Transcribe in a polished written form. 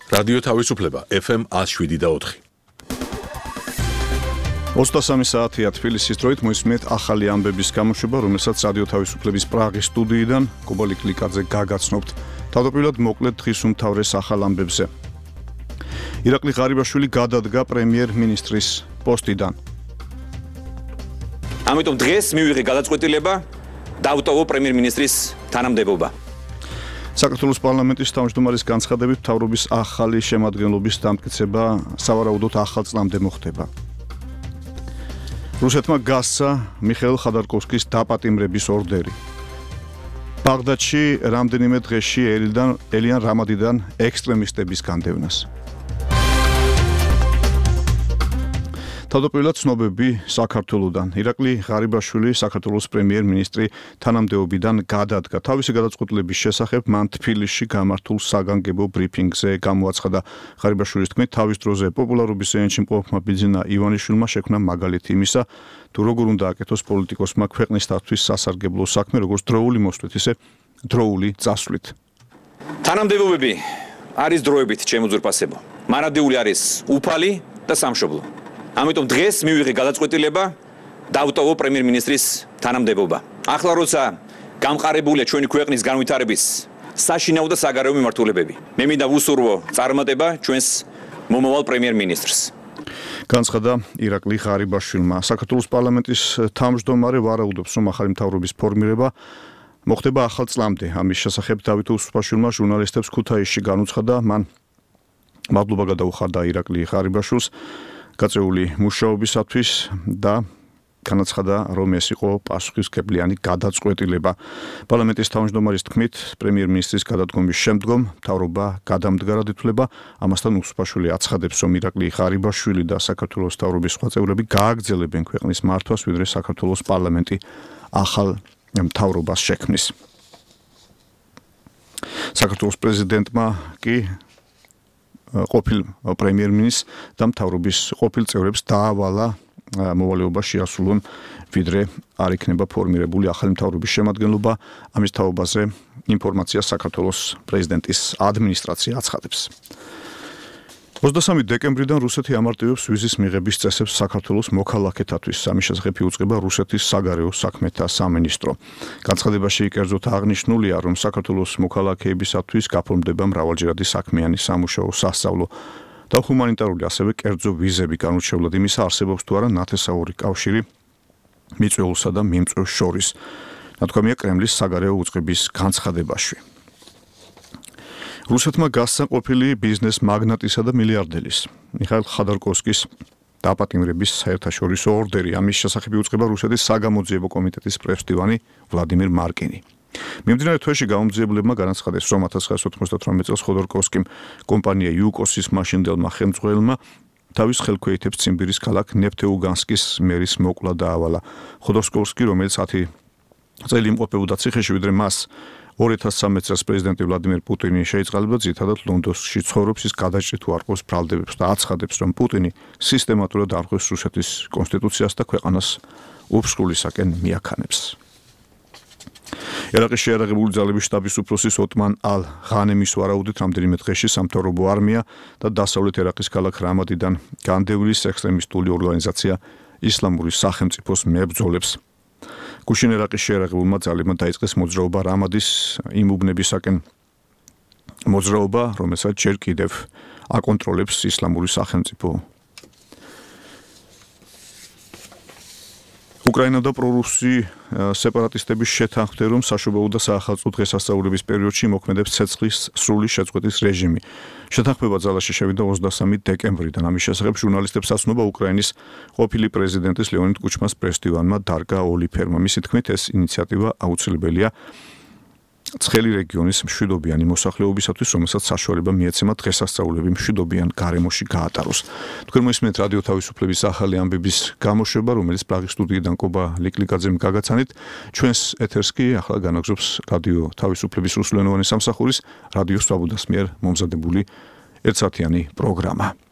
რადიო თავისუფლება FM 107.4. 23 საათია თბილისის დროით მოისმენთ ახალი ამბების გამოშვება, რომელსაც რადიო თავისუფლების პრაღის სტუდიიდან კობალი კლიკაძე გაგაცნობთ. თავდაპირველად მოკლედ დღის უმთავრეს ახალ ამბებზე. ირაკლი ღარიბაშვილი გადადგა პრემიერ-მინისტრის პოსტიდან. ამიტომ დღეს მივიღე გადაწყვეტილება დავტოვო პრემიერ-მინისტრის თანამდებობა. საქართველოს პარლამენტის თავმჯდომარის განცხადებით მთავრობის ახალი შემადგენლობის დამტკიცება სავარაუდოდ ახალ წლამდე მოხდება. რუსეთმა გასცა მიხეილ ხოდორკოვსკის დაპატიმრების ორდერი. ბაღდადში რამდენიმე დღეში ელიან რამადიდან ექსტრემისტების განდევნას. თავდაპირველად ცნობები საქართველოდან. ირაკლი ღარიბაშვილი საქართველოს პრემიერ-მინისტრი თანამდებობიდან გადადგა. თავისი გადაწყვეტილების შესახებ მან თბილისში გამართულ საგანგებო ბრიფინგზე გამოაცხადა. ღარიბაშვილის თქმით, თავის დროზე პოპულარობის ენში მყოფმა ბიძინა ივანიშვილმა შექმნა მაგალითი იმისა, თუ როგორ უნდა აკეთოს პოლიტიკოსმა ქვეყნისათვის სასარგებლო საქმე, როგორც დროული მოსვლით, ისე დროული წასვლით. თანამდებობები არის დროებით შემოძურპასებო. მარადიული არის უფალი და სამშობლო. ამიტომ დღეს მივიღე გადაწყვეტილება დავტოვო პრემიერ-მინისტრის თანამდებობა. ახლა როცა გამყარებულია ჩვენი ქვეყნის განვითარების საშინაო და საგარეო მიმართულებები, მე მინდა ვუსურვო წარმატება ჩვენს მომავალ პრემიერ-მინისტრს. განცხადა ირაკლი ღარიბაშვილმა. საქართველოს პარლამენტის თავმჯდომარე ვარაუდობს, რომ ახალი მთავრობის ფორმირება მოხდება ახალ წლამდე. ამის შესახებ დავით უსუფაშვილმა ჟურნალისტებს ქუთაისში განუცხადა, მან მადლობა გადაუხარდა ირაკლი ღარიბაშვილს გაწეული მუშაობისათვის და განაცხადა, რომ ეს იყო პასუხისმგებლიანი გადაწყვეტილება. პარლამენტის თავმჯდომარის თქმით, პრემიერ-მინისტრის გადადგომის შემდგომ მთავრობა გადამდგარად ითვლება. ამასთან უსუფაშვილი აცხადებს, რომ ირაკლი ღარიბაშვილი და საქართველოს მთავრობის სხვა წევრები გააგრძელებენ ქვეყნის მართვას, ვიდრე საქართველოს პარლამენტი ახალ მთავრობას შექმნის. საქართველოს პრეზიდენტმა კი ყოფილ პრემიერ-მინისტრს და მთავრობის ყოფილ წევრებს დაავალა მოვალეობა შეასრულონ, ვიდრე არ იქნება ფორმირებული ახალი მთავრობის შემადგენლობა. ამის თაობაზე ინფორმაცია საქართველოს პრეზიდენტის ადმინისტრაცია აცხადებს. 23 დეკემბრიდან რუსეთი ამარტივებს ვიზის მიღების წესებს საქართველოს მოქალაქეთათვის. ამის შესახებ იუწყება რუსეთის საგარეო საქმეთა სამინისტრო. განცხადებაში კერძოდ აღნიშნულია, რომ საქართველოს მოქალაქეებისათვის გაფორმდება მრავალჯერადი საქმიანი სამუშაო, სასწავლო და ჰუმანიტარული, ასევე კერძო ვიზები. განურჩევლად იმისა, არსებობს თუ არა ნათესაური კავშირი მიწვეულსა და მიმწვევს შორის. ნათქვამია კრემლის საგარეო უწყების განცხადებაში. რუსეთმა გასცა ყოფილი ბიზნეს მაგნატისა და მილიარდერის მიხეილ ხოდორკოვსკის დაპატიმრების საერთაშორისო ორდერი. ამის შესახებ იუწყება რუსეთის საგამოძიებო კომიტეტის პრესდივანი ვლადიმირ მარკინი. მიმდინარე თვეში გამომძიებლებმა განაცხადეს, რომ 1998 წელს ხოდორკოვსკიმ კომპანია იუკოსის მაშინდელმა ხელმძღვანელმა თავის ხელქვეითებს ციმბირის ქალაქ ნეფთეუგანსკის მერის მოკლა დაავალა. ხოდორკოვსკი, რომელიც 10 წელი იმყოფებოდა ციხეში, ვიდრე მას 2013 წელს პრეზიდენტი ვლადიმირ პუტინი შეიწყალება, ძირითადად ლონდონში ცხოვრობს, ის გადაჭრით უარყოფს ბრალდებებს და აცხადებს, რომ პუტინი სისტემატურად არღვევს რუსეთის კონსტიტუციას და ქვეყანას უფსრულისაკენ მიაქანებს. ერაყის შეიარაღებული ძალების შტაბის უფროსის ოტმან ალ-ღანემის ვარაუდით რამდენიმე დღეში სამთავრობო არმია და დასავლეთ ერაყის ქალაქ რამადიდან განდევნის ექსტრემისტული ორგანიზაცია ისლამური სახელმწიფოს მებრძოლებს. გუშინ ერაყის შეიარაღებულმა ძალებმა დაიწყეს მოძრაობა რამადის იმ უბნებისაკენ მოძრაობა, რომელსაც ჯერ კიდევ აკონტროლებს ისლამური სახელმწიფო. უკრაინა და პრორუსი სეპარატისტების შეთანხმდა, რომ საშობაო და საახალწლო დღესასწაულების პერიოდში მოქმედებს ცეცხლის სრული შეწყვეტის რეჟიმი. შეთანხმება ძალაში შევიდა 23 დეკემბრიდან. ამის შესახებ ჟურნალისტებს ასწნობა უკრაინის ყოფილი პრეზიდენტის ლეონიდ კუჩმას პრესდივანმა დარგა ოლიფერმა. მისი თქმით, ეს ინიციატივა აუცილებელია ცხელი რეგიონის მშვიდობიანი მოსახლეობისათვის, რომელსაც საშუალება მიეცემა დღესასწაულები მშვიდობიან გარემოში გაატაროს. თქვენ მოისმენთ რადიო თავისუფლების ახალი ამბების გამოშვება, რომელიც პრაღის სტუდიიდან კობა ლიკლიკაძემ გაგაცანით. ჩვენს ეთერს კი ახლა განაგზობს რადიო თავისუფლების რუსულენოვანი სამსახურის რადიო სვაბოდას მიერ მომზადებული ერთსაათიანი პროგრამა.